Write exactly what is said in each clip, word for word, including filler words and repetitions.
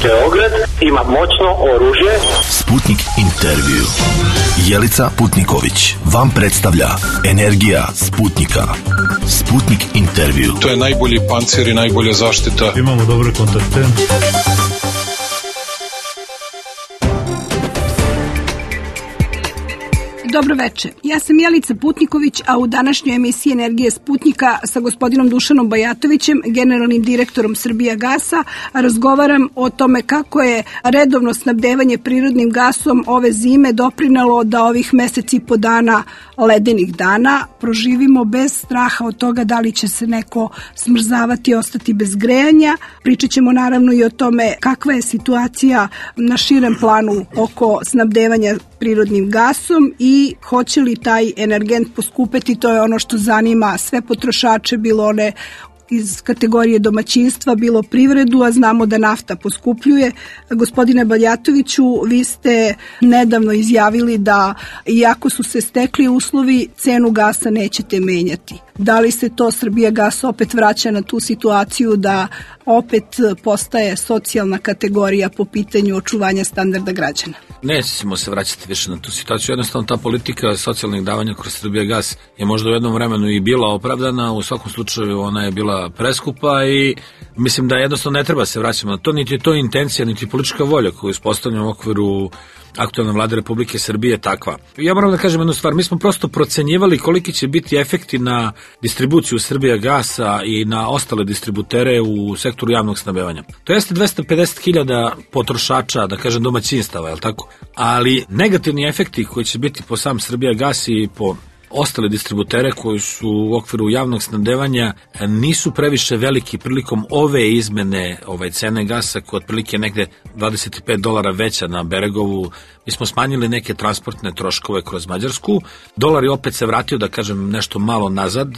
Beograd ima moćno oružje. Sputnik intervju. Jelica Putniković vam predstavlja Energija Sputnika. Sputnik intervju. To je najbolji pancir i najbolja zaštita. Imamo dobre kontakte. Dobro veče. Ja sam Jelica Putniković, a u današnjoj emisiji Energije Sputnika sa gospodinom Dušanom Bajatovićem, generalnim direktorom Srbijagasa, razgovaram o tome kako je redovno snabdevanje prirodnim gasom ove zime doprinelo da ovih meseci i po dana ledenih dana proživimo bez straha od toga da li će se neko smrzavati i ostati bez grejanja. Pričat ćemo naravno i o tome kakva je situacija na širem planu oko snabdevanja prirodnim gasom i hoće li taj energent poskupeti, to je ono što zanima sve potrošače, bilo one iz kategorije domaćinstva, bilo privredu, a znamo da nafta poskupljuje. Gospodine Bajatoviću, vi ste nedavno izjavili da iako su se stekli uslovi, cenu gasa nećete menjati. Da li se to Srbijagas opet vraća na tu situaciju da opet postaje socijalna kategorija po pitanju očuvanja standarda građana? Nećemo se vraćati više na tu situaciju. Jednostavno ta politika socijalnih davanja kroz Srbijagas je možda u jednom vremenu i bila opravdana, u svakom slučaju ona je bila preskupa i mislim da jednostavno ne treba se vraćati na to, niti je to intencija, niti politička volja koju ispostavljamo u okviru aktualne vlade Republike Srbije takva. Ja moram da kažem jednu stvar, mi smo prosto procenjivali koliki će biti efekti na distribuciju Srbijagasa i na ostale distributere u sektoru javnog snabdevanja. To jeste dvesta pedeset hiljada potrošača, da kažem domaćinstava, je li tako? Ali negativni efekti koji će biti po sam Srbijagas i po ostale distributere koji su u okviru javnog snabdevanja nisu previše veliki prilikom ove izmene ovaj, cene gasa koja otprilike negde dvadeset pet dolara veća na Beregovu. Mi smo smanjili neke transportne troškove kroz Mađarsku. Dolar je opet se vratio, da kažem, nešto malo nazad. E,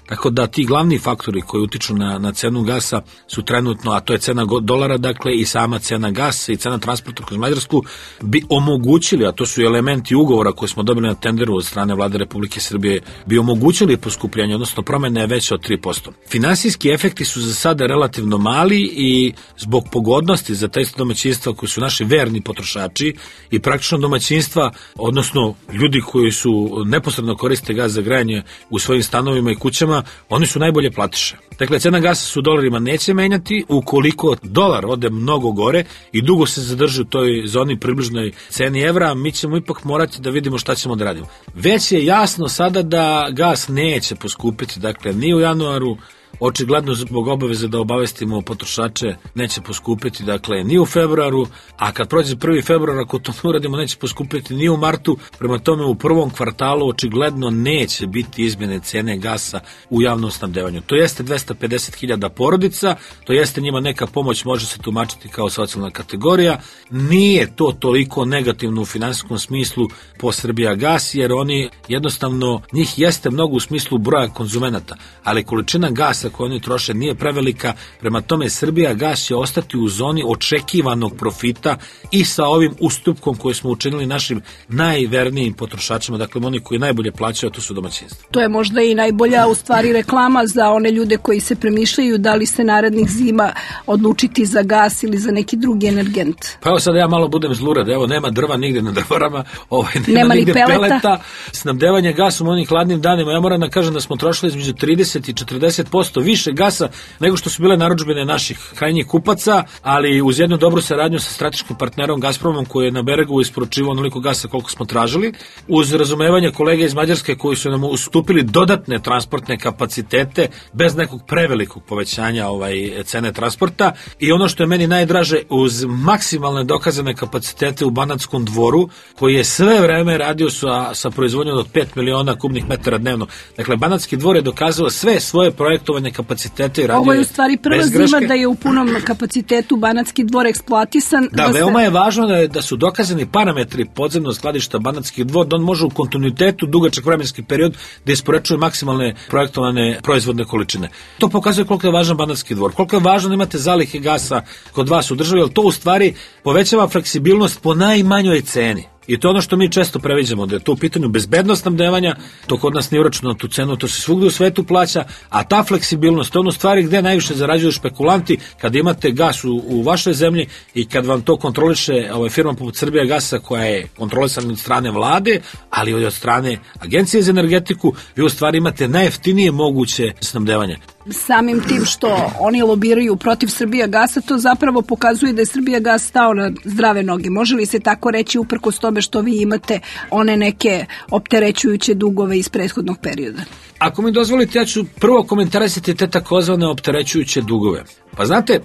tako da ti glavni faktori koji utiču na, na cenu gasa su trenutno, a to je cena dolara, dakle i sama cena gasa i cena transporta kroz Mađarsku bi omogućili, a to su elementi ugovora koje smo dobili na tenderu od strane vlade Republike Srbije, bi omogućili poskupljenje, odnosno promene je veće od tri posto. Finansijski efekti su za sada relativno mali i zbog pogodnosti za te domaćinstva koji su naši verni potrošači i praktično domaćinstva, odnosno ljudi koji su neposredno koriste gas za grejanje u svojim stanovima i kućama, oni su najbolje platiše. Dakle, cena gasa su dolarima neće menjati, ukoliko dolar ode mnogo gore i dugo se zadrži u toj zoni približnoj ceni evra, mi ćemo ipak morati da vidimo šta ćemo da radimo. Već je jasno sada da gas neće poskupiti, dakle, ni u januaru, očigledno zbog obaveze da obavestimo potrošače neće poskupiti, dakle, ni u februaru, a kad prođe prvi februar, ako to ne uradimo, neće poskupiti ni u martu, prema tome u prvom kvartalu očigledno neće biti izmjene cene gasa u javnom snabdevanju. To jeste dvesta pedeset hiljada porodica, to jeste njima neka pomoć, može se tumačiti kao socijalna kategorija, nije to toliko negativno u finansijskom smislu po Srbijagas, jer oni jednostavno, njih jeste mnogo u smislu broja konzumenata, ali količina gasa koje oni troše nije prevelika, prema tome Srbijagas će ostati u zoni očekivanog profita i sa ovim ustupkom koji smo učinili našim najvernijim potrošačima, dakle oni koji najbolje plaćaju, a to su domaćinstva. To je možda i najbolja u stvari reklama za one ljude koji se premišljaju da li se narednih zima odlučiti za gas ili za neki drugi energent. Pa evo sad ja malo budem zlurad, evo nema drva nigde na drvarama, ovaj, nema, nema nigde peleta. peleta, snabdevanje gasom u onih hladnim danima, ja moram da kažem da smo trošili između trideset i četrdeset posto više gasa nego što su bile narudžbine naših krajnjih kupaca, ali uz jednu dobru saradnju sa strateškim partnerom Gazpromom koji je na Beregovu isporučivao onoliko gasa koliko smo tražili, uz razumevanje kolege iz Mađarske koji su nam ustupili dodatne transportne kapacitete bez nekog prevelikog povećanja ovaj, cene transporta i ono što je meni najdraže, uz maksimalne dokazane kapacitete u Banatskom dvoru koji je sve vreme radio sa, sa proizvodnjom od pet miliona kubnih metara dnevno. Dakle, Banatski dvor je dokazao sve svoje projektovane kapacitete i radio. Ovo je u stvari prva zima da je u punom kapacitetu Banatski dvor eksploatisan. Da, da veoma se... je važno da, je, da su dokazani parametri podzemnog skladišta Banatski dvor, da on može u kontinuitetu dugačak vremenski period da isporučuje maksimalne projektovane proizvodne količine. To pokazuje koliko je važan Banatski dvor, koliko je važno da imate zalihe gasa kod vas u državi, jer to u stvari povećava fleksibilnost po najmanjoj ceni. I to je ono što mi često previđamo, da je to u pitanju bezbednost snabdevanja, to kod nas nije uračunano tu cenu, to se svugdje u svetu plaća, a ta fleksibilnost, to je ono stvari gde najviše zarađuju špekulanti, kad imate gas u, u vašoj zemlji i kad vam to kontroliše ovaj, firma poput Srbijagasa koja je kontrolisana od strane vlade, ali i od strane Agencije za energetiku, vi u stvari imate najjeftinije moguće snabdevanje. Samim tim što oni lobiraju protiv Srbijagasa, to zapravo pokazuje da je Srbijagas stao na zdrave noge. Može li se tako reći uprkos tome što vi imate one neke opterećujuće dugove iz prethodnog perioda? Ako mi dozvolite, ja ću prvo komentarisati te takozvane opterećujuće dugove. Pa znate,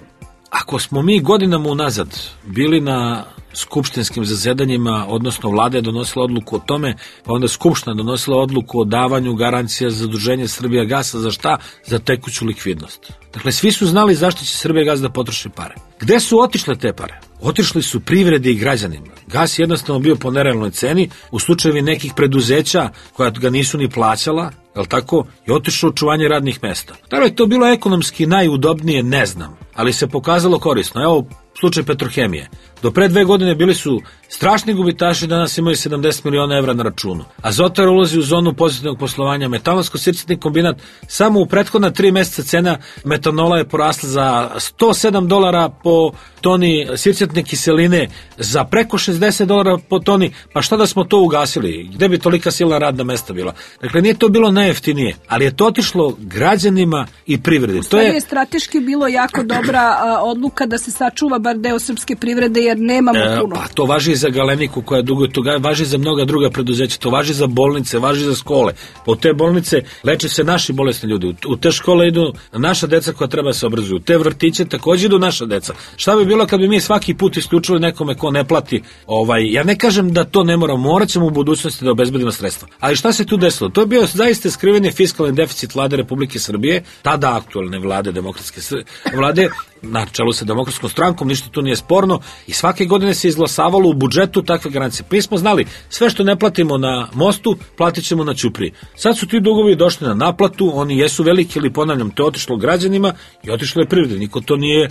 ako smo mi godinama unazad bili na skupštinskim zasedanjima, odnosno vlada je donosila odluku o tome, pa onda skupština donosila odluku o davanju garancija za zaduženje Srbijagasa, za šta? Za tekuću likvidnost. Dakle, svi su znali zašto će Srbijagas da potroši pare. Gde su otišle te pare? Otišli su privredi i građanima. Gas je jednostavno bio po nerealnoj ceni, u slučajevi nekih preduzeća koja ga nisu ni plaćala, jel tako, i otišlo očuvanje radnih mesta. Da li je to bilo ekonomski najudobnije, ne znam, ali se pokazalo korisno. Evo, slučaj Petrohemije. Do pre dve godine bili su strašni gubitaši, danas imaju sedamdeset miliona evra na računu. Azotar ulazi u zonu pozitivnog poslovanja. Metalonsko-sircetni kombinat, samo u prethodna tri meseca cena metanola je porasla za sto sedam dolara po toni sircetne kiseline, za preko šezdeset dolara po toni. Pa šta da smo to ugasili? Gde bi tolika silna radna mesta bila? Dakle, nije to bilo najjeftinije, ali je to otišlo građanima i privredi. To je, je strateški bilo jako dobra a, odluka da se sačuva bar deo srpske privrede, jer nemamo e, puno. Pa to važi i za Galeniku koja duguje, to važi za mnoga druga preduzeća, to važi za bolnice, važi za škole. Po te bolnice leče se naši bolesni ljudi, u te škole idu naša deca koja treba se obrazuju, u te vrtiće također idu naša deca. Šta bi bilo kad bi mi svaki put isključili nekome ko ne plati? Ovaj, ja ne kažem da to ne moramo, morat ćemo u budućnosti da obezbedimo sredstva. Ali šta se tu desilo? To je bio zaista skriveni fiskalni deficit vlade Republike Srbije, tada aktualne vlade, demokratske vlade, na čelu sa demokratskom strankom, ništa tu nije sporno, i svake godine se izglasavalo u budžetu takve garancije. Mi smo znali, sve što ne platimo na mostu, platit ćemo na Ćupriji. Sad su ti dugovi došli na naplatu, oni jesu veliki, ali ponavljam, to je otišlo građanima i otišlo je privredi, niko to nije e,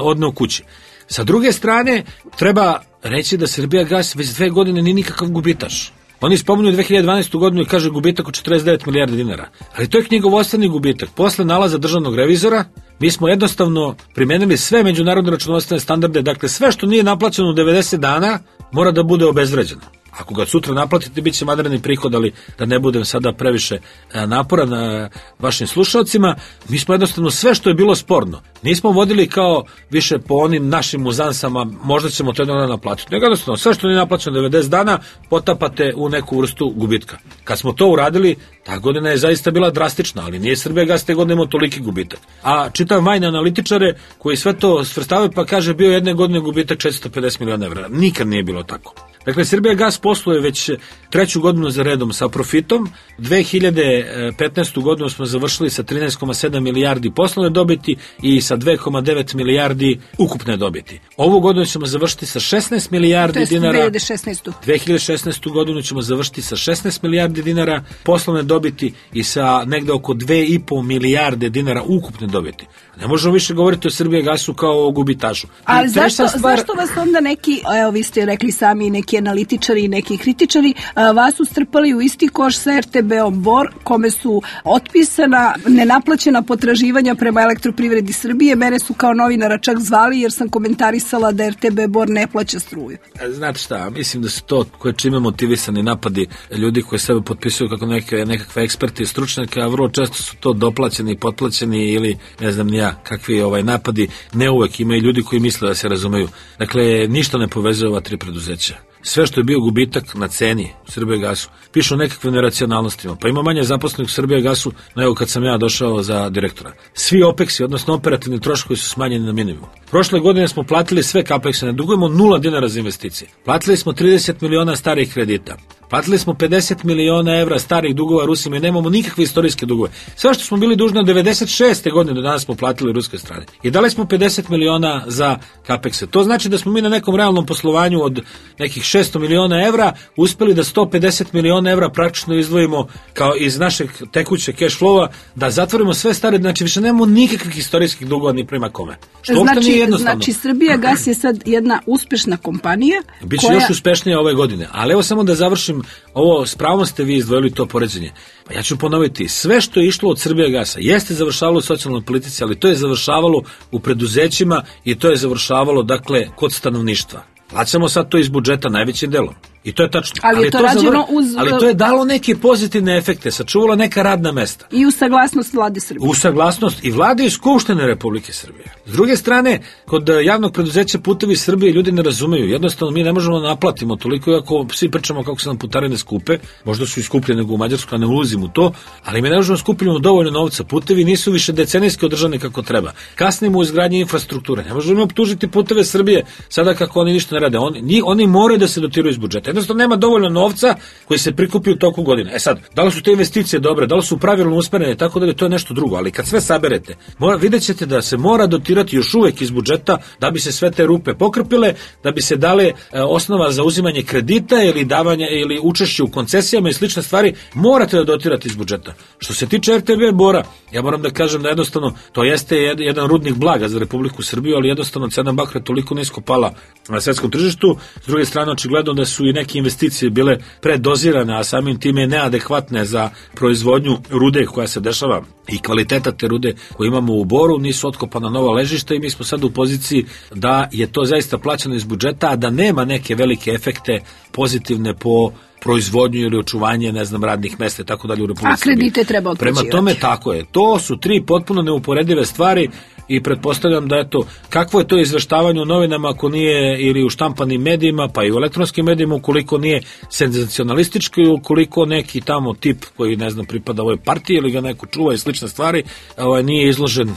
odneo kući. Sa druge strane, treba reći da Srbijagas već dve godine nije nikakav gubitaš. Oni spominju dve hiljade dvanaestu godinu i kaže gubitak od četrdeset devet milijardi dinara. Ali to je knjigovodstveni gubitak. Posle nalaza državnog revizora, mi smo jednostavno primenili sve međunarodne računovodstvene standarde, dakle sve što nije naplaćeno u devedeset dana mora da bude obezvređeno. Ako ga sutra naplatite, bit će vanredni prihod, ali da ne budem sada previše napora na vašim slušalcima, mi smo jednostavno sve što je bilo sporno nismo vodili kao više po onim našim uzansama, možda ćemo to jedno naplatiti. Nego jednostavno, sve što nije naplaćeno devedeset dana, potapate u neku vrstu gubitka. Kad smo to uradili, ta godina je zaista bila drastična, ali nije Srbijagas te godine imao toliki gubitak. A čitam vajne analitičare koji sve to svrstavaju, pa kaže bio jedne godine gubitak četiristo pedeset miliona evra. Nikad nije bilo tako. Dakle, Srbijagas posluje već treću godinu za redom sa profitom. dve hiljade petnaestu godinu smo završili sa trinaest zarez sedam milijardi poslovne dobiti i sa dve zarez devet milijardi ukupne dobiti. Ovu godinu ćemo završiti sa šesnaest milijardi dinara. dve hiljade šesnaestu. dve hiljade šesnaestu godinu ćemo završiti sa šesnaest milijardi dinara poslovne dobiti i sa negde oko dve i po milijarde dinara ukupne dobiti. Ne možemo više govoriti o Srbijagasu kao o gubitašu. Ali zašto, stvar... zašto vas onda neki, evo vi ste rekli sami, neki analitičari i neki kritičari, vas su strpali u isti koš sa er te be-om Bor, kome su otpisana nenaplaćena potraživanja prema Elektroprivredi Srbije. Mene su kao novinara čak zvali jer sam komentarisala da er te be Bor ne plaća struju. Znate šta, mislim da su to koje čime motivisani napadi ljudi koji sebe potpisuju kako neke, nekakve eksperti i stručnjake, a vrlo često su to doplaćeni, potplaćeni ili ne znam ni ja kakvi ovaj napadi. Ne uvek, ima i ljudi koji misle da se razumeju. Dakle, ništa ne povezuje ova tri preduzeća. Sve što je bio gubitak na ceni u Srbijagasu, pišu o nekakvim neracionalnostima. Pa ima manje zaposlenih u Srbijagasu nego kad sam ja došao za direktora. Svi opeksi, odnosno operativni troškovi su smanjeni na minimum. Prošle godine smo platili sve kapekse, ne dugujemo nula dinara za investicije. Platili smo trideset miliona starih kredita. Platili smo pedeset miliona evra starih dugova Rusima i nemamo nikakve istorijske dugove. Sve što smo bili dužni od devedeset šeste godine do danas smo platili ruske strane. I dali smo pedeset miliona za kapekse. To znači da smo mi na nekom realnom poslovanju od nekih šesto miliona evra uspeli da sto pedeset miliona evra praktično izdvojimo kao iz našeg tekuće cash flowa, da zatvorimo sve stare, znači više nemamo nikakvih istorijskih dugova ni prema kome. Što znači nije jednostavno. Znači, Srbijagas je sad jedna uspešna kompanija. Biće koja... još uspešnija ove godine. Ali evo samo da završim ovo, s pravom ste vi izdvojili to poređenje. Pa ja ću ponoviti, sve što je išlo od Srbijagasa jeste završavalo u socijalnoj politici, ali to je završavalo u preduzećima i to je završavalo, dakle, kod stanovništva. Plaćamo sad to iz budžeta najvećim delom. I to je tačno. Ali, ali, je to, to, rađeno uz... ali to je dalo neke pozitivne efekte, sačuvalo neka radna mesta. I u saglasnost vlade Srbije. U saglasnost i vlade i Skupštine Republike Srbije. S druge strane, kod javnog preduzeća Putevi Srbije ljudi ne razumeju. Jednostavno mi ne možemo da naplatimo toliko, ako svi pričamo kako se nam putarine skupe, možda su i skuplje nego u Mađarskoj, a ne ulazim u to, ali mi ne možemo skupljamo dovoljno novca. Putevi nisu više decenijski održani kako treba. Kasnimo u izgradnji infrastrukture. Ne možemo optužiti Puteve Srbije sada kako oni ništa ne rade. Oni, oni moraju da se dotiraju iz budžeta. Jednostavno nema dovoljno novca koji se prikupi u toku godine. E sad, da li su te investicije dobre, da li su pravilno usmerene, tako da je to je nešto drugo, ali kad sve saberete, mora, vidjet ćete da se mora dotirati još uvek iz budžeta da bi se sve te rupe pokrpile, da bi se dale e, osnova za uzimanje kredita ili davanje ili učešće u koncesijama i slične stvari, morate da dotirate iz budžeta. Što se tiče R T B Bora, ja moram da kažem da jednostavno to jeste jedan rudnik blaga za Republiku Srbiju, ali jednostavno cena bakra toliko nisko pala na svetskom tržištu. S druge strane, očigledno da su i neki investicije bile predozirane, a samim time neadekvatne za proizvodnju rude koja se dešava i kvaliteta te rude koju imamo u Boru, nisu otkopana nova ležišta i mi smo sad u poziciji da je to zaista plaćeno iz budžeta, a da nema neke velike efekte pozitivne po proizvodnju ili očuvanje, ne znam, radnih mesta i tako dalje u Republici Srbiji. A kredite treba otplaćivati. Prema tome, tako je. To su tri potpuno neuporedive stvari i pretpostavljam da eto, kakvo je to izveštavanje u novinama ako nije ili u štampanim medijima, pa i u elektronskim medijima, ukoliko nije senzacionalistički, ukoliko neki tamo tip koji, ne znam, pripada ovoj partiji ili ga neko čuva i slične stvari, ovaj, nije izložen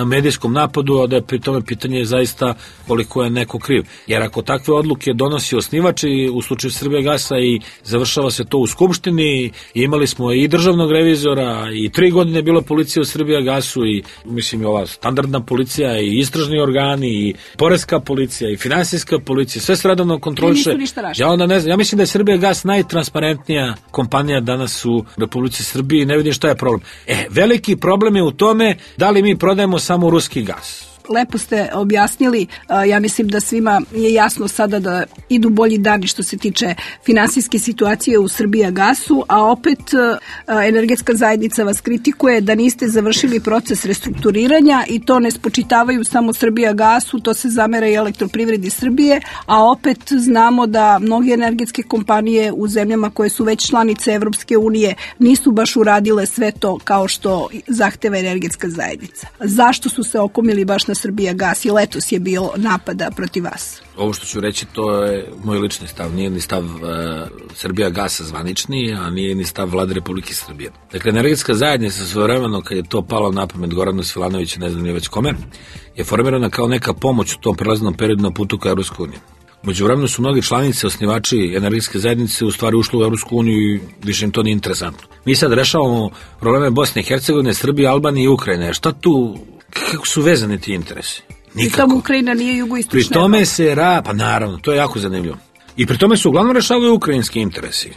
medijskom napadu, a da je pri tome pitanje zaista koliko je neko kriv. Jer ako takve odluke donosi osnivač i u slučaju Srbijagasa i završava se to u Skupštini, i imali smo i državnog revizora i tri godine je bila policija u Srbijagasu i mislim i ova standardna policija i istražni organi i poreska policija i finansijska policija, sve se redovno kontroliše. Ja onda ne znam, ja mislim da je Srbijagas najtransparentnija kompanija danas u Republici Srbiji i ne vidim šta je problem. E, veliki problem je u tome da li mi prodajemo samo ruski gas. Lepo ste objasnili, ja mislim da svima je jasno sada da idu bolji dani što se tiče finansijske situacije u Srbijagasu, a opet energetska zajednica vas kritikuje da niste završili proces restrukturiranja i to ne spočitavaju samo Srbijagasu, to se zamera i Elektroprivredi Srbije, a opet znamo da mnoge energetske kompanije u zemljama koje su već članice Evropske unije nisu baš uradile sve to kao što zahteva energetska zajednica. Zašto su se okomili baš na Srbijagas i letos je bilo napada protiv vas? Ovo što ću reći, to je moj lični stav, nije ni stav uh, Srbijagasa zvanični, a nije ni stav Vlade Republike Srbije. Dakle, energetska zajednica svojevremeno, kad je to palo na pamet Goranu Svilanoviću, ne znam nije već kome, je formirana kao neka pomoć u tom prelaznom periodu na putu ka Evropskoj uniji. Međuvremeno su mnogi članice, osnivači energetske zajednice u stvari ušli u Evropsku uniju i više im to nije interesantno. Mi sad rešavamo probleme Bosne i Hercegovine, Srbije, Albanije i Ukrajine. Šta tu, kako su vezani ti interesi? Nikako. I tamo Ukrajina nije jugoistočna. Pri tome se ra, pa naravno, to je jako zanimljivo. I pri tome se uglavnom rešavaju ukrajinski interesi.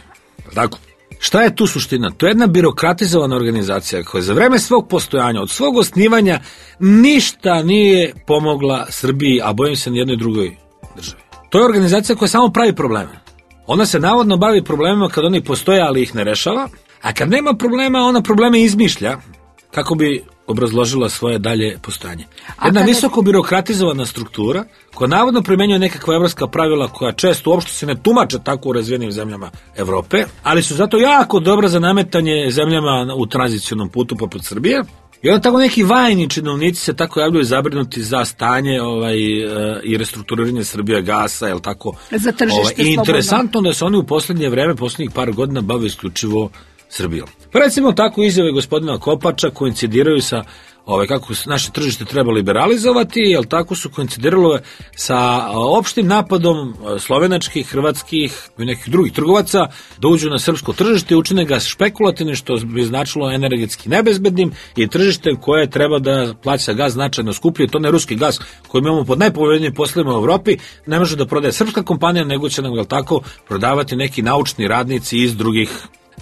Tako. Šta je tu suština? To je jedna birokratizovana organizacija koja za vreme svog postojanja, od svog osnivanja, ništa nije pomogla Srbiji, a bojim se nijednoj drugoj državi. To je organizacija koja samo pravi probleme. Ona se navodno bavi problemima kad oni postoje, ali ih ne rešava, a kad nema problema, ona probleme izmišlja kako bi obrazložila svoje dalje postojanje. Jedna visoko birokratizovana struktura koja navodno primenjuje nekakva evropska pravila koja često uopšte se ne tumače tako u razvijenim zemljama Evrope, ali su zato jako dobra za nametanje zemljama u tranzicionom putu poput Srbije. I onda tako neki vajni činovnici se tako javljaju zabrinuti za stanje ovaj, i restrukturiranje Srbijagasa, je li tako? Za tržište ovaj, i interesantno da se oni u poslednje vreme, poslednjih par godina bave isključivo Srbijom. Pa recimo tako izjave gospodina Kopača koincidiraju sa ovaj, kako naše tržište treba liberalizovati, jel tako su koincidiralo sa opštim napadom slovenačkih, hrvatskih i nekih drugih trgovaca da uđu na srpsko tržište i učine ga špekulativnim, što bi značilo energetski nebezbednim i tržište koje treba da plaća gaz značajno skuplje, to ne ruski gaz koji imamo pod najpovoljnijim poslovima u Evropi, ne može da prodaje srpska kompanija, nego će nam, jel tako, prodavati neki naučni radnici iz drugih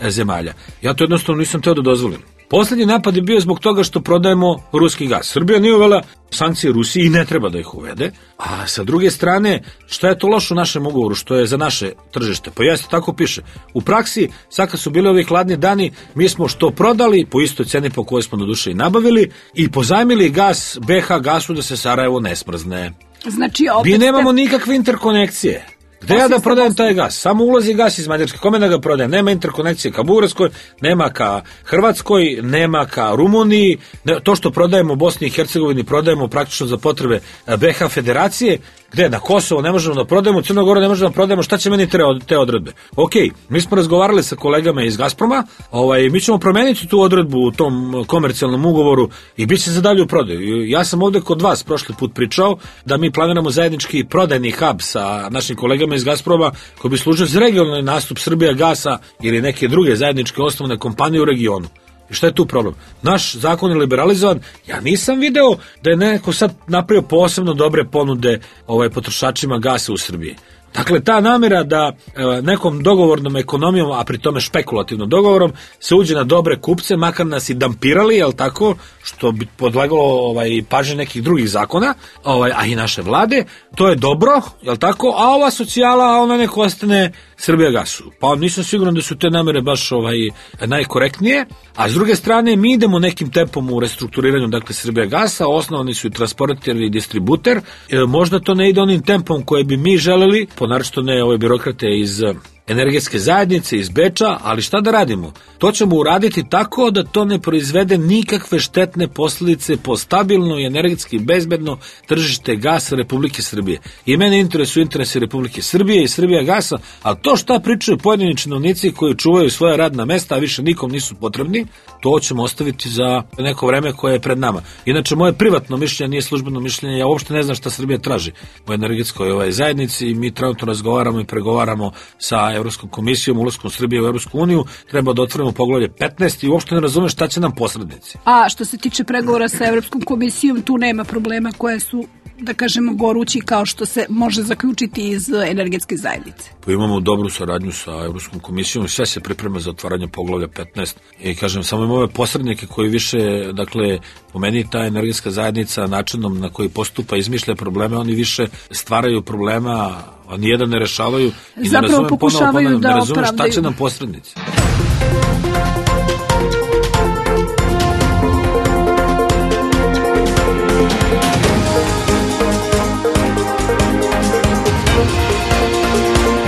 zemalja. Ja to jednostavno nisam teo da dozvolim. Poslednji napad je bio zbog toga što prodajemo ruski gas. Srbija nije uvela sankcije Rusiji i ne treba da ih uvede. A sa druge strane, šta je to loše u našem ugovoru, što je za naše tržište? Pa jeste, tako piše. U praksi, sad kad su bili ovi hladni dani, mi smo što prodali po istoj ceni po kojoj smo do duše i nabavili i pozajmili gas B H gasu da se Sarajevo ne smrzne. Znači, opet mi nemamo ste... nikakve interkonekcije. Gde ja da prodajem taj gas? Samo ulazi gas iz Mađarske. Kome da ga prodajem? Nema interkonekcije ka Bugarskoj, nema ka Hrvatskoj, nema ka Rumuniji. To što prodajemo u Bosni i Hercegovini prodajemo praktično za potrebe B H federacije. Gde? Na Kosovo ne možemo da prodajemo, u Crnoj Gori ne možemo da prodajemo. Šta će meni te odredbe? Ok, mi smo razgovarali sa kolegama iz Gazproma, ovaj, mi ćemo promeniti tu odredbu u tom komercijalnom ugovoru i bit će za dalju prodaju. Ja sam ovde kod vas prošli put pričao da mi planiramo zajednički prodajni hub sa našim kolegama iz Gazproma koji bi služio za regionalni nastup Srbija gasa ili neke druge zajedničke osnovne kompanije u regionu. I šta je tu problem? Naš zakon je liberalizovan. Ja nisam video da je neko sad napravio posebno dobre ponude ovaj, potrošačima gasa u Srbiji. Dakle, ta namera da e, nekom dogovornom ekonomijom, a pri tome špekulativnom dogovorom, se uđe na dobre kupce, makar nas i dampirali, jel tako, što bi podlegalo ovaj, pažnje nekih drugih zakona, ovaj, a i naše vlade, to je dobro, jel tako, a ova socijala, ona neko ostane Srbija gasu. Pa nisam siguran da su te namere baš ovaj, najkorektnije, a s druge strane mi idemo nekim tempom u restrukturiranju, dakle, Srbija gasa, osnovani su i transporter i distributer, e, možda to ne ide onim tempom koje bi mi želeli, naročito ne ove birokrate iz energetske zajednice, iz Beča, ali šta da radimo? To ćemo uraditi tako da to ne proizvede nikakve štetne posljedice po stabilno i energetski bezbedno tržište gasa Republike Srbije. I mene interesuju interesi Republike Srbije i Srbija gasa, a to šta pričaju pojedini činovnici koji čuvaju svoja radna mesta, a više nikom nisu potrebni, to ćemo ostaviti za neko vreme koje je pred nama. Inače, moje privatno mišljenje nije službeno mišljenje, ja uopšte ne znam šta Srbija traži u energetskoj ovaj, zajednici i mi trenutno razgovaramo i pregovaramo sa Evropskom komisijom, ulaskom Srbije u Evropsku uniju, treba da otvorimo poglavlje petnaest i uopšte ne razumem šta će nam posrednici. A što se tiče pregovora sa Evropskom komisijom, tu nema problema koje su, da kažemo, gorući kao što se može zaključiti iz energetske zajednice. Pa imamo dobru saradnju sa Evropskom komisijom i sve se priprema za otvaranje poglavlja petnaest i kažem, samo imamo ove posrednike koji više, dakle, po meni ta energetska zajednica načinom na koji postupa izmišlja probleme, oni više stvaraju problema, a nijedan ne rešavaju i zapravo ne razumem pokušavaju ponovo, da ne razumem opravdaju. Šta će nam posrednici.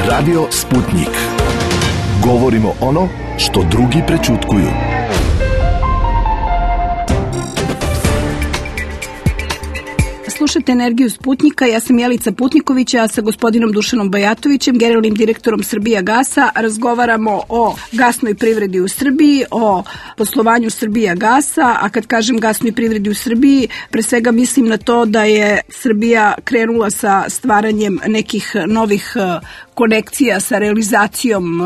Radio Sputnik. Govorimo ono što drugi prećutkuju. Slušajte Energiju Sputnika, ja sam Jelica Putniković, a sa gospodinom Dušanom Bajatovićem, generalnim direktorom Srbija gasa, razgovaramo o gasnoj privredi u Srbiji, o poslovanju Srbija gasa, a kad kažem gasnoj privredi u Srbiji, pre svega mislim na to da je Srbija krenula sa stvaranjem nekih novih konekcija sa realizacijom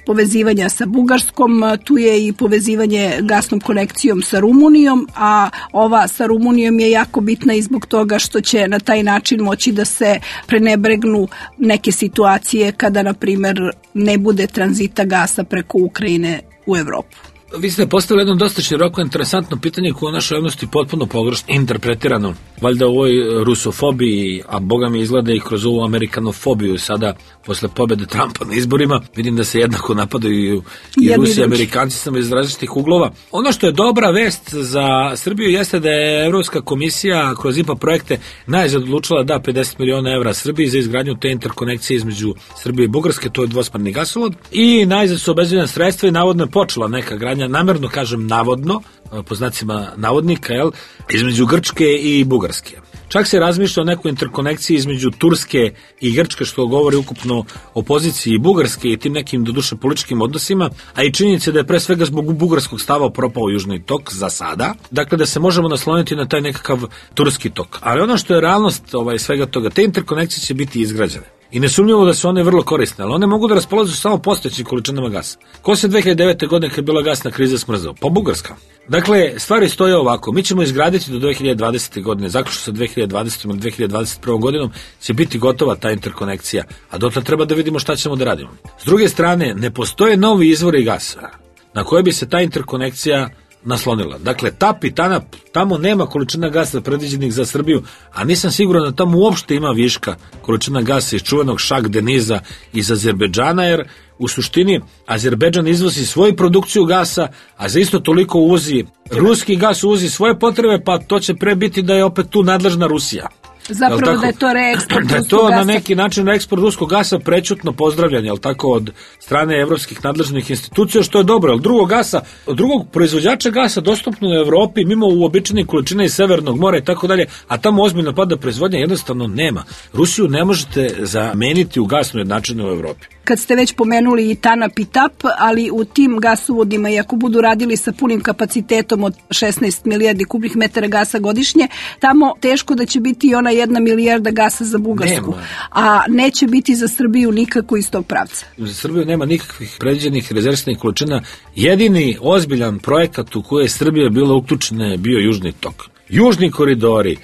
povezivanja sa Bugarskom, tu je i povezivanje gasnom konekcijom sa Rumunijom, a ova sa Rumunijom je jako bitna i zbog toga što će na taj način moći da se prenebregnu neke situacije kada, na primjer, ne bude tranzita gasa preko Ukrajine u Evropu. Vi ste postavili jedno dosta široko interesantno pitanje koje u našoj javnosti potpuno pogrešno interpretirano. Valjda u ovoj rusofobiji, a boga mi izgleda i kroz ovu amerikanofobiju sada posle pobjede Trumpa na izborima, vidim da se jednako napadaju i Rusi i Amerikanci samo iz različitih uglova. Ono što je dobra vest za Srbiju jeste da je Evropska komisija kroz I P A projekte najzad odlučila da pedeset miliona evra Srbiji za izgradnju te interkonekcije između Srbije i Bugarske, to je dvosmerni gasovod, i najzad su obezbeđena sredstva i navodno je počela neka gradnja, namerno kažem navodno, po znacima navodnika, jel, između Grčke i Bugarske. Čak se razmišlja o nekoj interkonekciji između Turske i Grčke, što govori ukupno o poziciji Bugarske i tim nekim doduše političkim odnosima, a i činjenica da je pre svega zbog bugarskog stava propao Južni tok za sada, dakle da se možemo nasloniti na taj nekakav turski tok. Ali ono što je realnost ovaj, svega toga, te interkonekcije će biti izgrađene. I nesumnjivo da su one vrlo korisne, ali one mogu da raspolažu samo postojećim količinama gasa. Ko se dve hiljade devete. godine kad je bila gasna kriza smrzao? Pa Bugarska. Dakle, stvari stoje ovako. Mi ćemo izgraditi do dve hiljade dvadesete. godine, zaključno sa dve hiljade dvadesetom ili dve hiljade dvadeset prvom. godinom će biti gotova ta interkonekcija, a dotle treba da vidimo šta ćemo da radimo. S druge strane, ne postoje novi izvori gasa na koje bi se ta interkonekcija naslonila. Dakle, Tap i Tanap, tamo nema količina gasa predviđenih za Srbiju, a nisam siguran da tamo uopšte ima viška količina gasa iz čuvenog Šak Deniza iz Azerbejdžana, jer u suštini Azerbejdžan izvozi svoju produkciju gasa, a za isto toliko uvozi ruski gas, uvozi svoje potrebe, pa to će pre biti da je opet tu nadležna Rusija. Zapravo da je to reeksport da je to na neki način reeksport ruskog gasa prećutno pozdravljanje, jel tako, od strane evropskih nadležnih institucija, što je dobro, jer drugog gasa, drugog proizvođača gasa dostupno u Evropi, mimo uobičajenih količina iz Severnog mora i tako dalje, a tamo ozbiljno pada proizvodnja, jednostavno nema. Rusiju ne možete zameniti u gasnoj jednačini u Evropi. Kad ste već pomenuli i Tanap i Tap, ali u tim gasovodima, i ako budu radili sa punim kapacitetom od šesnaest milijardi kubnih metara gasa godišnje, tamo teško da će biti i ona jedna milijarda gasa za Bugarsku. Nema. A neće biti za Srbiju nikako iz tog pravca. Za Srbiju nema nikakvih predviđenih rezervnih količina. Jedini ozbiljan projekat u koje je Srbija bila uključena je bio Južni tok. Južni koridori,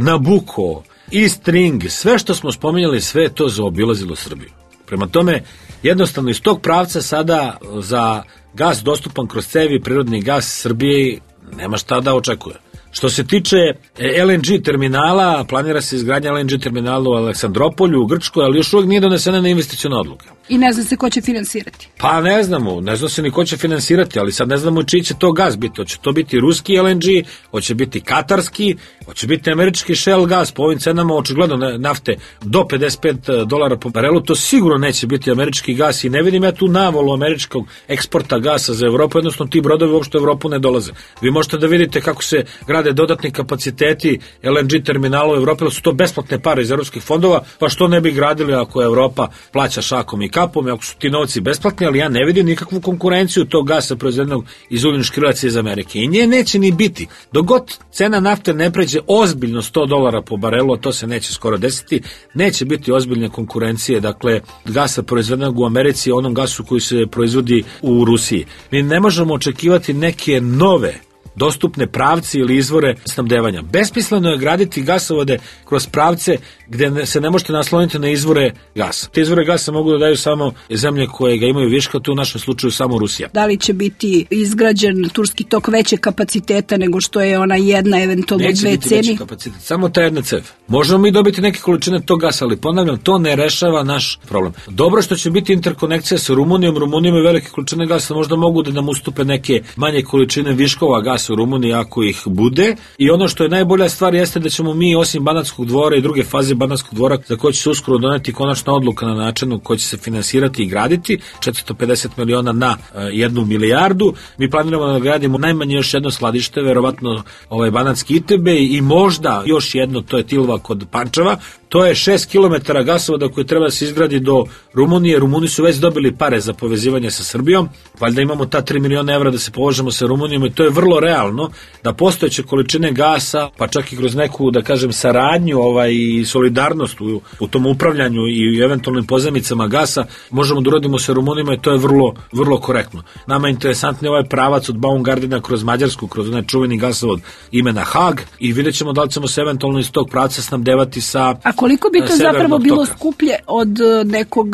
Nabucco, East String, sve što smo spominjali, sve je to zaobilazilo Srbiju. Prema tome, jednostavno iz tog pravca sada za gas dostupan kroz cevi, prirodni gas Srbije nema šta da očekuje. Što se tiče L N G terminala, planira se izgradnja L N G terminala u Aleksandropolju, u Grčkoj, ali još uvijek nije donesena na investiciona odluka. I ne zna se ko će finansirati. Pa ne znamo, ne zna se ni ko će finansirati, ali sad ne znamo čiji će to gas biti. Hoće to biti ruski L N G, hoće biti katarski, hoće biti američki Shell gas, po ovim cenama očigledno nafte do pedeset pet dolara po barelu, to sigurno neće biti američki gas i ne vidim ja tu navolu američkog eksporta gasa za Evropu, jednostavno ti brodovi uopšte u Evropu ne dolaze. Vi možete da vidite kako se grade dodatni kapaciteti L N G terminala u Evropi, ali su to besplatne pare iz evropskih fondova, pa što ne bi gradili ako Evropa plaća šakom i kapom, ako su ti novci besplatni, ali ja ne vidim nikakvu konkurenciju tog gasa proizvedenog iz ugljenih škrilaca iz Amerike. I nje neće ni biti. Dok god cena nafte ne pređe ozbiljno sto dolara po barelu, a to se neće skoro desiti, neće biti ozbiljne konkurencije, dakle, gasa proizvedenog u Americi, onom gasu koji se proizvodi u Rusiji. Mi ne možemo očekivati neke nove dostupne pravci ili izvore snabdevanja. Besmisleno je graditi gasovode kroz pravce gde se ne možete nasloniti na izvore gasa. Te izvore gasa mogu da daju samo zemlje koje ga imaju viška, to u našem slučaju samo Rusija. Da li će biti izgrađen Turski tok veće kapaciteta nego što je ona jedna, eventualno Neće dve biti ceni? Veći kapacitet, samo ta jedna cev. Možemo mi dobiti neke količine tog gasa, ali ponavljam, to ne rešava naš problem. Dobro što će biti interkonekcija sa Rumunijom, Rumunijom i velike količine gasa možda mogu da nam ustupe neke manje količine viškova gasa u Rumuniji ako ih bude, i ono što je najbolja stvar jeste da ćemo mi osim Banatskog dvora i druge faze Banatskog dvora, za koje će se uskoro doneti konačna odluka na načinu koji će se finansirati i graditi, četiristo pedeset miliona na uh, jednu milijardu, mi planiramo da gradimo najmanje još jedno skladište, verovatno ovaj Banatski I T B i možda još jedno, to je Tilva kod Pančeva. To je šest kilometara gasovoda koji treba da se izgradi do Rumunije. Rumuni su već dobili pare za povezivanje sa Srbijom. Valjda imamo ta tri miliona evra da se povežemo sa Rumunijom i to je vrlo realno da postojeće količine gasa, pa čak i kroz neku, da kažem, saradnju ovaj, i solidarnost u, u tom upravljanju i eventualnim pozajmicama gasa, možemo da uradimo sa Rumunima i to je vrlo, vrlo korektno. Nama je interesantni ovaj pravac od Baumgardena kroz Mađarsku, kroz onaj čuveni gasovod imena Hag, i vidjet ćemo da li ćemo se eventualno iz tog pravca snabdevati sa A koliko bi to zapravo bilo toka. skuplje od nekog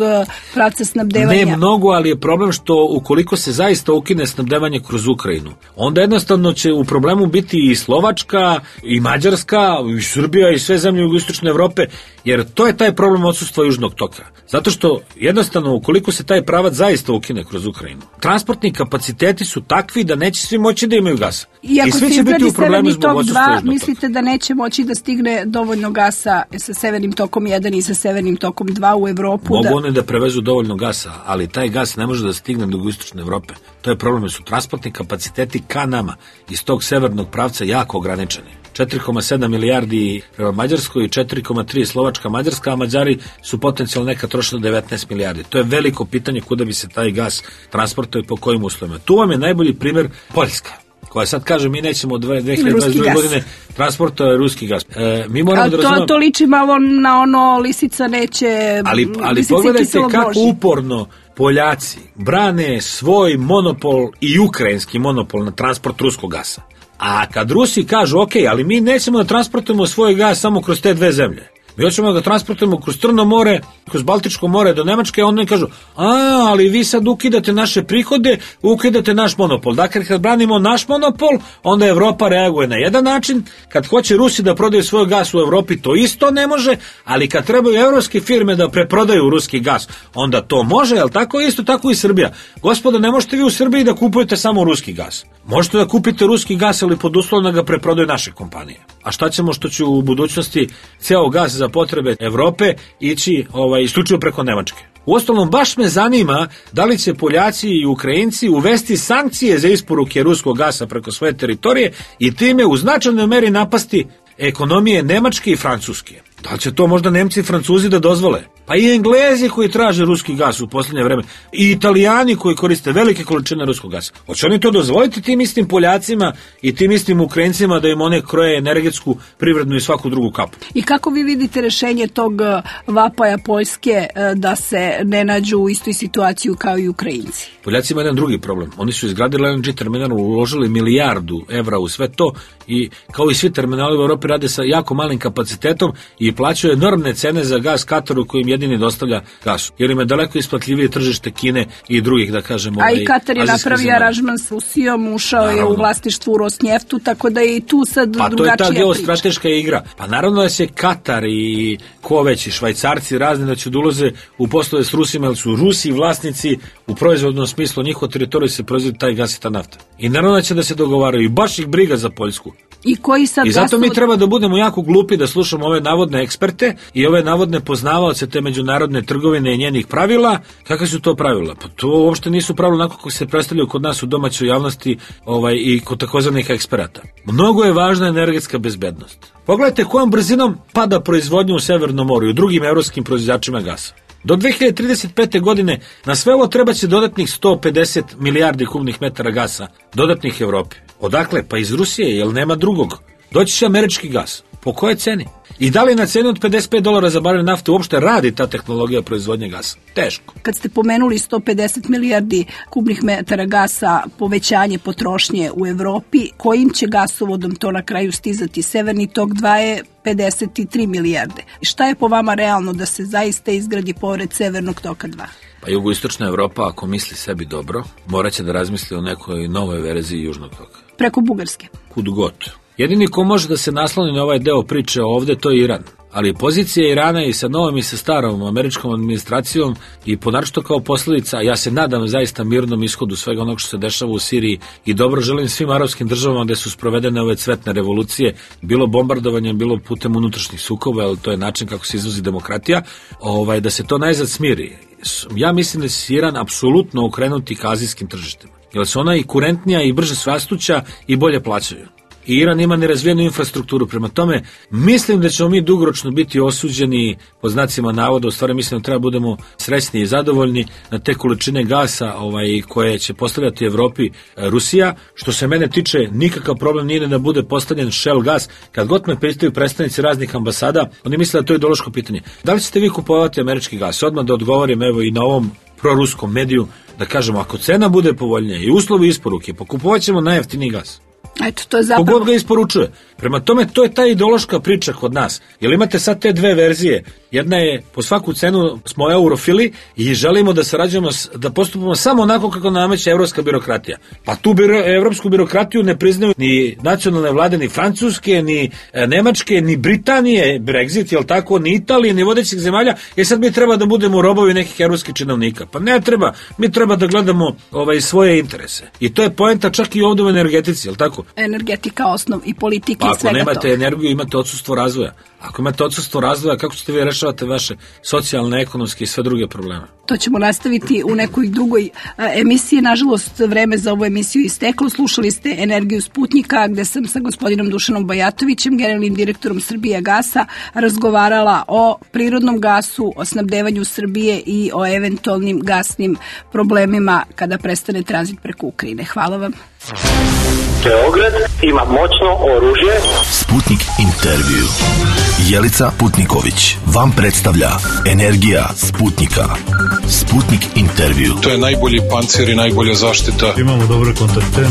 pravca snabdevanja? Ne mnogo, ali je problem što ukoliko se zaista ukine snabdevanje kroz Ukrajinu, onda jednostavno će u problemu biti i Slovačka, i Mađarska, i Srbija, i sve zemlje jugoistočne Evrope, jer to je taj problem odsustva Južnog toka. Zato što jednostavno ukoliko se taj pravac zaista ukine kroz Ukrajinu, transportni kapaciteti su takvi da neće svi moći da imaju gasa. I ako I svi se će biti u problemu Severni zbog tok odsustva dva, Južnog mislite toka. da neće moći da stigne dovoljno gasa sa Severnim tokom jedan i sa Severnim tokom dva u Evropu? Mogu da... one da prevezu dovoljno gasa, ali taj gas ne može da stigne do jugoistočne Evrope. To je problem, jer su transportni kapaciteti ka nama iz tog severnog pravca jako ograničeni. četiri zarez sedam milijardi prema Mađarskoj i četiri zarez tri Slovačka, Mađarska, a Mađari su potencijalno neka trošili devetnaest milijardi. To je veliko pitanje kuda bi se taj gas transportuje i po kojim uslovima. Tu vam je najbolji primjer Poljska, koja sad kaže mi nećemo od dve hiljade dvadeset druge godine transportuje ruski gas. E, mi moramo da razumemo... To, to liči malo na ono lisica neće... Ali, ali pogledajte kako Boži. uporno Poljaci brane svoj monopol i ukrajinski monopol na transport ruskog gasa. A kad Rusi kažu, ok, ali mi nećemo da transportujemo svoj gas samo kroz te dve zemlje, Mi hoćemo da ga transportujemo kroz Crno more, kroz Baltičko more do Nemačke, a oni kažu, a, ali vi sad ukidate naše prihode, ukidate naš monopol. Dakle, kad branimo naš monopol, onda Evropa reaguje na jedan način, kad hoće Rusi da prodaju svoj gas u Evropi, to isto ne može, ali kad trebaju evropske firme da preprodaju ruski gas, onda to može, jel tako? Isto tako i Srbija. Gospodo, ne možete vi u Srbiji da kupujete samo ruski gas. Možete da kupite ruski gas, ali pod uslovom da ga preprodaju naše kompanije. A šta ćemo što će u budućnosti ceo gas za potrebe Evrope ići ovaj, isključivo preko Nemačke? Uostalom, baš me zanima da li će Poljaci i Ukrajinci uvesti sankcije za isporuke ruskog gasa preko svoje teritorije i time u značajnoj meri napasti ekonomije Nemačke i Francuske. Da li će to možda Nemci i Francuzi da dozvole? Pa i Englezi koji traže ruski gas u posljednje vreme, i Italijani koji koriste velike količine ruskog gasa. Hoće oni to dozvoliti tim istim Poljacima i tim istim Ukrajincima da im one kroje energetsku, privrednu i svaku drugu kapu? I kako vi vidite rešenje tog vapaja Poljske da se ne nađu u istoj situaciju kao i Ukrajinci? Poljaci imaju jedan drugi problem. Oni su izgradili L N G terminal, uložili milijardu evra u sve to i kao i svi terminali u Evropi rade sa jako malim kapacitetom i plaćaju enormne cene za gas Kataru koji im jedini dostavlja gasu. Jer im je daleko isplatljivije tržište Kine i drugih, da kažemo. A i Katar je napravio aranžman s Rusijom, ušao naravno. je u vlasništvu Rosnjeftu, tako da je i tu sad pa, drugačija priča. Pa to je ta geostrateška igra. Pa naravno da će Katar i ko već i Švajcarci razni da će da ulaze u poslove s Rusima, jer su Rusi vlasnici u proizvodnom smislu, njihov teritorij se proizvodi taj gas i ta nafta. I naravno da će da se dogovaraju i baš ih briga za Poljsku. I, koji sad I zato gasovod... mi treba da budemo jako glupi da slušamo ove navodne eksperte i ove navodne poznavaoce te međunarodne trgovine i njenih pravila. Kakve su to pravila? Pa to uopšte nisu pravila onako kako se predstavljaju kod nas u domaćoj javnosti ovaj, i kod takozvanih eksperata. Mnogo je važna energetska bezbednost. Pogledajte kojom brzinom pada proizvodnja u Severnom moru i u drugim evropskim proizvođačima gasa. Do dve hiljade trideset pete. godine na sve ovo treba će dodatnih sto pedeset milijardi kubnih metara gasa, dodatnih Evropi. Odakle? Pa iz Rusije, jer nema drugog. Doći će američki gas. Po kojoj ceni? I da li na ceni od pedeset pet dolara za barel nafte uopšte radi ta tehnologija proizvodnje gasa? Teško. Kad ste pomenuli sto pedeset milijardi kubnih metara gasa povećanje potrošnje u Evropi, kojim će gasovodom to na kraju stizati? Severni tok dva je pedeset tri milijarde. Šta je po vama realno da se zaista izgradi pored Severnog toka dva? Pa jugoistočna Evropa, ako misli sebi dobro, morat će da razmisli o nekoj novoj verziji južnog toka. Preko Bugarske? Kud god. Jedini ko može da se nasloni na ovaj deo priče ovde, to je Iran. Ali pozicija Irana i sa novom i sa starom američkom administracijom i ponaročito kao posljedica, ja se nadam zaista mirnom ishodu svega onog što se dešava u Siriji i dobro želim svim arapskim državama gde su sprovedene ove cvetne revolucije, bilo bombardovanjem, bilo putem unutrašnjih sukoba, ali to je način kako se izvozi demokratija, ovaj, da se to najzad smiri. Ja mislim da će Iran apsolutno okrenuti ka azijskim tržištima, jer su ona i kurentnija i brže svastuća i bolje plaćaju. I Iran ima nerazvijenu infrastrukturu, prema tome mislim da ćemo mi dugoročno biti osuđeni po znacima navoda, u stvari mislim da treba budemo srećni i zadovoljni na te količine gasa ovaj, koje će postavljati Evropi Rusija. Što se mene tiče, nikakav problem nije da bude postavljen Shell gas. Kad god me pitaju predstavnici raznih ambasada, oni misle da to je ideološko pitanje. Da li ćete vi kupovati američki gas? Odmah da odgovorim evo i na ovom proruskom mediju, da kažemo ako cena bude povoljnija i uslovi isporuke, pokupovat ćemo najjeftiniji gas. Eto, to je zapravo... Kogod ga isporučuje. Prema tome, to je ta ideološka priča kod nas. Jer imate sad te dve verzije. Jedna je, po svaku cenu smo eurofili i želimo da sarađujemo, da postupamo samo onako kako nameće evropska birokratija. Pa tu biro, evropsku birokratiju ne priznaju ni nacionalne vlade, ni Francuske, ni e, Nemačke, ni Britanije, Brexit, jel tako, ni Italije, ni vodećih zemalja. Jer sad mi treba da budemo robovi nekih evropskih činovnika. Pa ne treba. Mi treba da gledamo ovaj, svoje interese. I to je poenta čak i ovdje u energetici, jel tako? Energetika, osnov i politike pa i svega ako nemate to. energiju, imate odsustvo razvoja. Ako imate odsustvo razvoja, kako ćete vi rešavati vaše socijalne, ekonomske i sve druge probleme? To ćemo nastaviti u nekoj drugoj a, emisiji. Nažalost, vreme za ovu emisiju isteklo. Slušali ste Energiju Sputnika, gde sam sa gospodinom Dušanom Bajatovićem, generalnim direktorom Srbija gasa, razgovarala o prirodnom gasu, o snabdevanju Srbije i o eventualnim gasnim problemima kada prestane tranzit preko Ukrajine. Hvala vam. Beograd ima moćno oružje. Sputnik intervju. Jelica Putniković vam predstavlja Energija Sputnika. Sputnik intervju. To je najbolji pancir i najbolja zaštita. Imamo dobre kontakte.